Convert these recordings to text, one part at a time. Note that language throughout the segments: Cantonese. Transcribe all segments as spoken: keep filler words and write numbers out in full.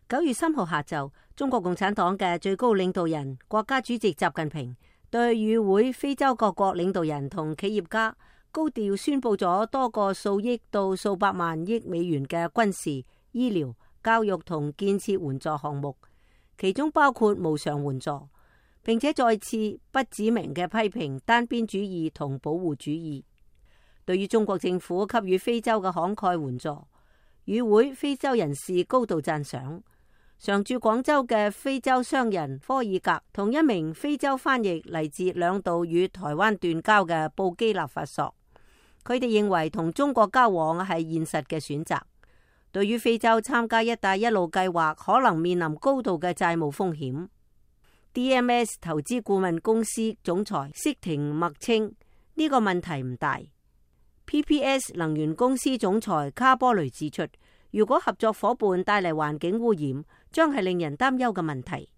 九月三號下晝，中國共產黨嘅最高領導人、國家主席習近平對與會非洲各國領導人同企業家高調宣布咗多個數億到數百萬億美元嘅軍事、醫療、教育同建設援助項目，其中包括無償援助，並且再次不指名嘅批評單邊主義同保護主義。對於中國政府給予非洲嘅慷慨援助，與會非洲人士高度讚賞。常駐廣州嘅非洲商人科爾格同一名非洲翻譯嚟自兩度與台灣斷交嘅布基納法索，佢哋認為同中國交往係現實嘅選擇。對於非洲參加一帶一路計劃可能面臨高度嘅債務風險， D M S 投資顧問公司總裁釋廷默稱呢個問題唔大。P P S 能源公司總裁卡波雷指出，如果合作伙伴帶嚟環境污染，將係令人擔憂嘅問題。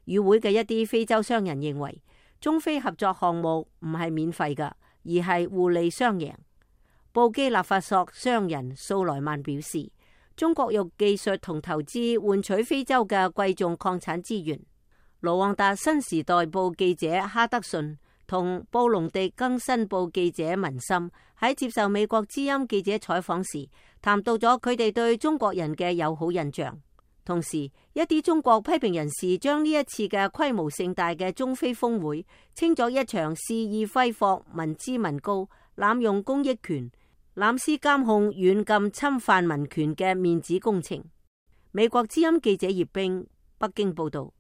與會嘅一啲非洲商人認為，中非合作項目唔係免費㗎，而係互利雙贏。布基納法索商人素萊曼表示，中國用技術同投資換取非洲嘅貴重礦產資源。盧旺達新時代報記者哈德遜同布隆迪更新報記者文森喺接受美國之音記者採訪時，談到咗佢哋對中國人嘅友好印象。同時，一啲中國批評人士將呢一次嘅規模盛大嘅中非峰會稱作一場肆意揮霍民脂民膏、濫用公益權、濫施監控、軟禁侵犯民權嘅面子工程。美國之音記者葉冰，北京報道。